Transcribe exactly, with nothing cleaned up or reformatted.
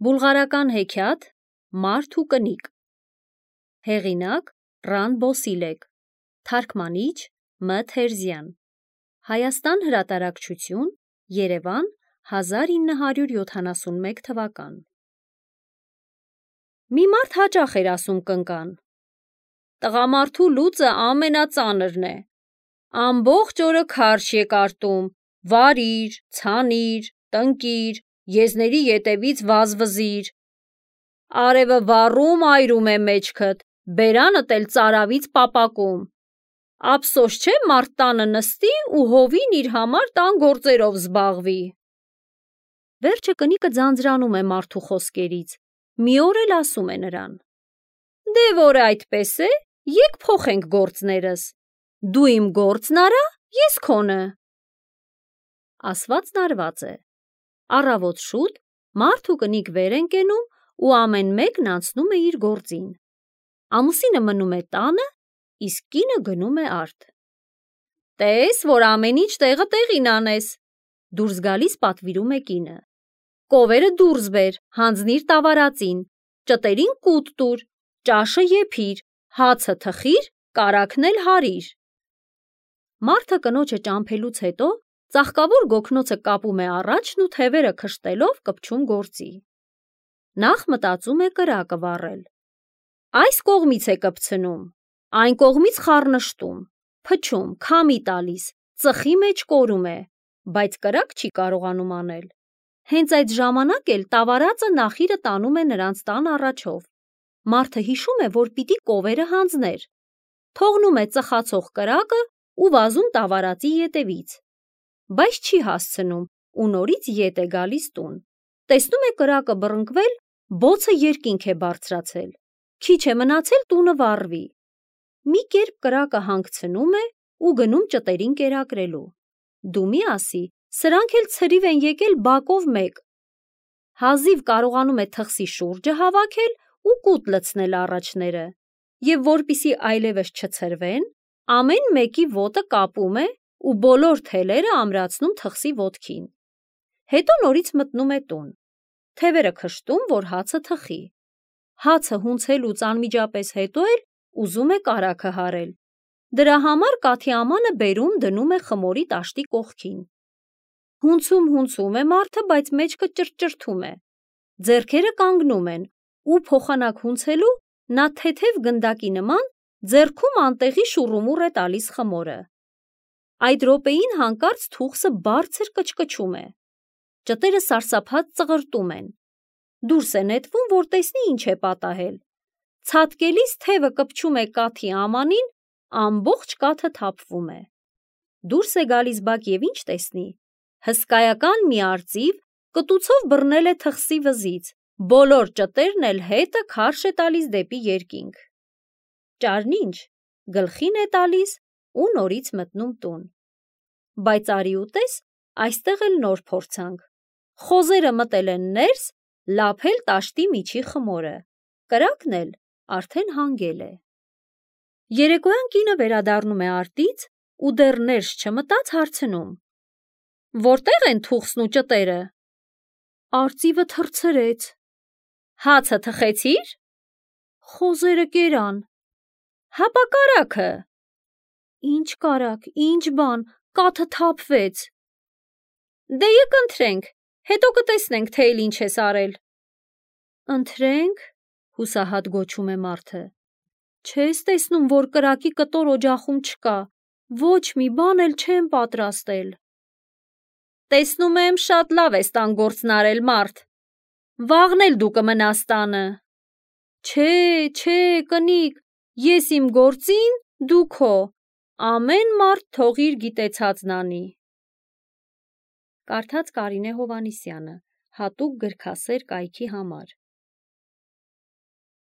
Բուլղարական հեքիաթ Մարդ ու կնիկ։ Հեղինակ Ռան Բոսիլեկ, թարգմանիչ Մ Թերզյան, Հայաստան հրատարակչություն, Երևան, հազար ինը հարյուր յոթանասունմեկ թվական։ Մի մարդ հաճախ էր ասում կնկան. «Տղամարդու լուծը ամենածանրն է, ամբողջ օրը քարշ է կարտում, վարիր, ցանիր, տնկիր, եզների ետևից վազվզիր, արևը վառում այրում է մեջքդ, բերանդ էլ ծարավից պապակում, ափսոս չէ մարդ տանը նստի ու հովին իր համար տան գործերով զբաղվի»։ Վերջը կնիկը ձանձրանում է մարդու խոսքերից, մի օր էլ ասում է նրան. «Դե որ այդպես է, եկ փոխենք գործներս, դու իմ գործն արա, ես քոնը»։ Ասվածն արված է։ Առավոտ շուտ մարդ ու կնիկ վեր են կենում ու ամեն մեկն անցնում է իր գործին։ Ամուսինը մնում է տանը, իսկ կինը գնում է արտ։ «Տես, որ ամեն ինչ տեղը տեղին անես», դուրս գալիս պատվիրում է կինը։ «Կովերը դուրս բեր, հանձնիր տավարածին, ճտերին կուտ տուր, ճաշը եփիր, հացը թխիր, կարագն էլ հարիր»։ Մարդը կնոջը ճամփելուց հետո ծաղկավոր գոգնոցը կապում է առաջն ու թևերը քշտելով կպչում գործի։ Նախ մտածում է կրակը վառել։ Այս կողմից է կպցնում, այն կողմից խառնշտում, փչում, քամի տալիս, ծխի մեջ կորում է, բայց կրակ չի կարողանում անել։ Հենց այդ ժամանակ էլ տավարածը նախիրը տանում է նրանց տան առաջով։ Մարդը հիշում է, որ պիտի կովերը հանձներ, թողնում է ծխացող կրակը ու վազում տավարածի ետևից, բայց չի հասցնում ու նորից ետ է գալիս տուն։ Տեսնում է կրակը բռնկվել, բոցը երկինք է բարձրացել, քիչ է մնացել տունը վառվի։ Մի կերպ կրակը հանգցնում է ու գնում ճտերին կերակրելու։ Դու մի ասի, սրանք էլ ցրիվ են եկել բակով մեկ։ Հազիվ կարողանում է թխսի շուրջը հավաքել ու կուտ լցնել առաջները, և որպեսզի այլևս չցրվեն, ամեն մեկի ոտը կապում է ու բոլոր թելերը ամրացնում թխսի ոտքին։ Հետո նորից մտնում է տուն, թևերը քշտում, որ հացը թխի։ Հացը հունցելուց անմիջապես հետո էլ ուզում է կարագը հարել։ Դրա համար կաթի ամանը բերում դնում է խմորի տաշտի կողքին։ Հունցում-հունցում է մարդը, բայց մեջքը ճրճրթում է։ Ձեռքերը կանգնում են, ու փոխանակ հունցելու նա թեթև գնդակի նման ձեռքում անտեղի շուռումուռ է տալիս խմորը։ Այդ րոպեին հանկարծ թուխսը բարձր կչկչում է։ Ճտերը սարսափած ծղրտում են։ Դուրս է նետվում, որ տեսնի ինչ է պատահել։ Ցատկելիս թևը կպչում է կաթի ամանին, ամբողջ կաթը թափվում է։ Դուրս է գալիս բակ և ինչ տեսնի։ Հսկայական մի արծիվ կտուցով բռնել է թխսի վզից, բոլոր ճտերն էլ հետը քարշ է տալիս դեպի երկինք։ Ճարն ինչ, գլխին է տալիս ու նորից մտնում տուն։ Բայց արի ու տես, այստեղ էլ նոր փորձանք։ Խոզերը մտել են ներս, լափել տաշտի միջի խմորը, կրակն էլ արդեն հանգել է։ Երեկոյան կինը վերադառնում է արտից ու դեռ ներս չմտած հարցնում. «Որտե՞ղ են թուխսն ու ճտերը»։ «Արծիվը թռցրեց»։ «Հացը թխեցի՞ր»։ «Խոզերը կերան»։ «Հապա կարագը»։ «Ինչ կարագ, ինչ բան, կաթը թափվեց»։ «Դե եկ ընթրենք, հետո կտեսնենք, թե էլ ինչ ես արել»։ «Ընթրե՞նք», հուսահատ գոչում է մարդը։ «Չես տեսնում, որ կրակի կտոր օջախում չկա, ոչ մի բան էլ չեմ պատրաստել»։ «Տեսնում եմ, շատ լավ ես տան գործն արել, մարդ, վաղն էլ դու կմնաս տանը»։ «Չէ, չէ, կնիկ, ես իմ գործին, դու քո, ամեն մարդ թող իր գիտեցածն անի»։ Կարդաց Կարինե Հովհաննիսյանը, հատուկ գրքասեր կայքի համար։